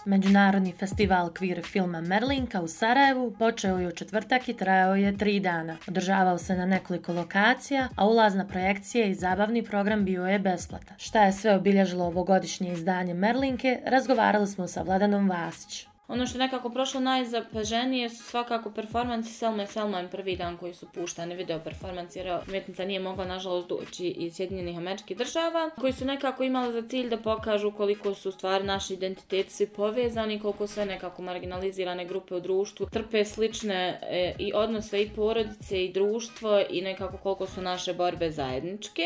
Međunarodni festival kvir filma Merlinka u Sarajevu počeo je u četvrtak i trajao je 3 dana. Održavao se na nekoliko lokacija, a ulaz na projekcije i zabavni program bio je besplatan. Šta je sve obilježilo ovogodišnje izdanje Merlinke, razgovarali smo sa Vladanom Vasić. Ono što je nekako prošlo najzapaženije su svakako performansi Selma i Selman prvi dan koji su puštani, video performansi, jer umjetnica nije mogla nažalost doći iz Sjedinjenih Američkih Država, koji su nekako imali za cilj da pokažu koliko su stvari naši identiteti svi povezani, koliko sve nekako marginalizirane grupe u društvu trpe slične i odnose i porodice i društvo i nekako koliko su naše borbe zajedničke.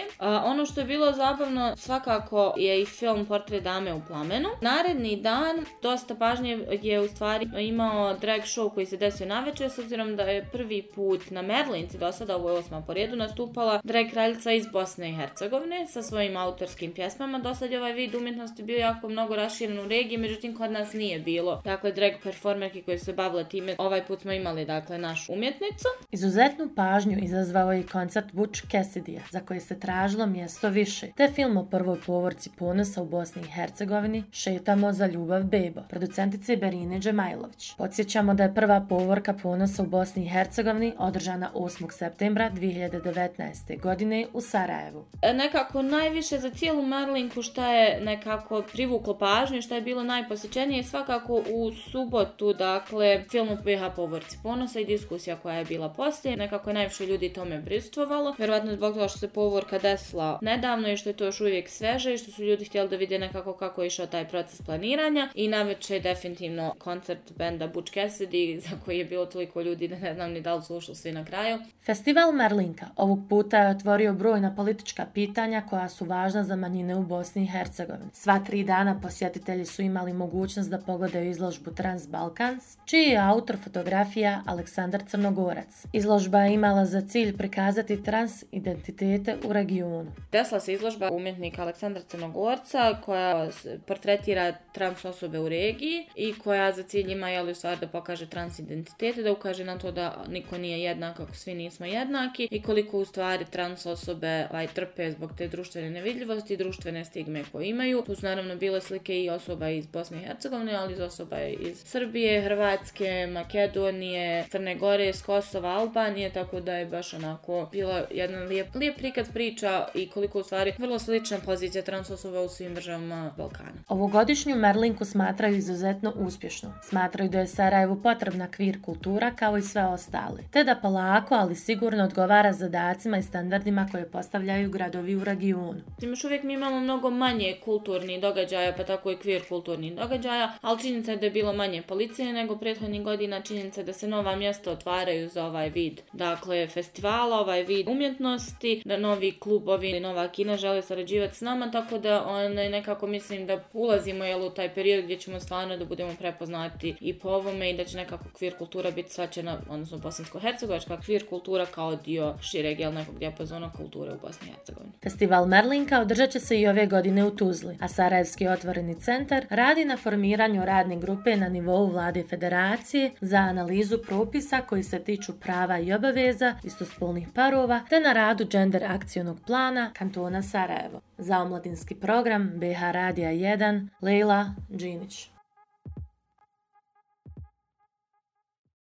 Ono što je bilo zabavno svakako je i film Portret dame u plamenu. Naredni dan dosta pažnje je u stvari imao drag show koji se desio navečer, s obzirom da je prvi put na Merlinci do sada, ovo je 8. po redu, nastupala drag kraljica iz Bosne i Hercegovine sa svojim autorskim pjesmama. Do sad je ovaj vid umjetnosti bio jako mnogo raširen u regiji, međutim kod nas nije bilo. Dakle, drag performerki koje se bavile time, ovaj put smo imali našu umjetnicu. Izuzetnu pažnju izazvao je i koncert Butch Cassidyja, za koje se tražilo mjesto više, te film o prvoj povorci ponosa u Bosni i Hercegovini Šetamo za ljubav bebo, producentice Berine Džemajlović. Podsjećamo da je prva povorka ponosa u Bosni i Hercegovini održana 8. septembra 2019. godine u Sarajevu. Nekako najviše za cijelu Merlinku šta je nekako privuklo pažnju, šta je bilo najposjećenije, svakako u subotu, dakle, film o BiH povorci ponosa i diskusija koja je bila poslije. Nekako je najviše ljudi tome prisustvovalo, vjerojatno zbog toga što se povorka desila nedavno i što je to još uvijek sveže i što su ljudi htjeli da vide nekako kako je išao taj proces planiranja. I navečer definitivno koncert benda Butch Cassidy, za koji je bilo toliko ljudi da ne znam ni da li su ušli svi na kraju. Festival Merlinka ovog puta je otvorio brojna politička pitanja koja su važna za manjine u Bosni i Hercegovini. Sva 3 dana posjetitelji su imali mogućnost da pogledaju izložbu Transbalkans, čiji je autor fotografija Aleksandar Crnogorac. Izložba je imala za cilj prikazati trans identitete u regionu. Desila se izložba umjetnika Aleksandra Crnogorca koja portretira trans osobe u regiji i koja za cilj ima u stvari da pokaže trans identitete, da ukaže na to da niko nije jednak ako svi nismo jednaki i koliko u stvari trans osobe trpe zbog te društvene nevidljivosti i društvene stigme koje imaju. Tu su naravno bile slike i osoba iz Bosne i Hercegovine, ali iz osoba iz Srbije, Hrvatske, Makedonije, Crne Gore, s Kosova, Albanije, tako da je baš onako bila jedan lijep prikaz priča i koliko u stvari vrlo slična pozicija trans osoba u svim državama Balkana. Ovogodišnju Merlinku smatraju izuzetno uspješno. Smatraju da je Sarajevu potrebna kvir kultura kao i sve ostale, te da polako, ali sigurno odgovara zadacima i standardima koje postavljaju gradovi u regionu. Još uvijek mi imamo mnogo manje kulturnih događaja, pa tako i kvir kulturnih događaja, ali činjenica je da je bilo manje policije nego prethodnih godina, činjenica je da se nova mjesta otvaraju za ovaj vid, dakle, festivala, ovaj vid umjetnosti, da novi klubovi i nova kina žele sarađivati s nama, tako da nekako mislim da ulazimo u taj period gdje ćemo stvarno da budemo prepoznati i po ovome i da će nekako kvir kultura biti shvaćena, odnosno bosansko-hercegovačka kvir kultura kao dio šireg nekog dijapazona kulture u Bosni i Hercegovini. Festival Merlinka održat će se i ove godine u Tuzli, a Sarajevski otvoreni centar radi na formiranju radne grupe na nivou vlade federacije za analizu propisa koji se tiču prava i obaveza istospolnih parova te na radu gender akcionog plana kantona Sarajevo. Za omladinski program BiH Radija 1, Lejla Džinić.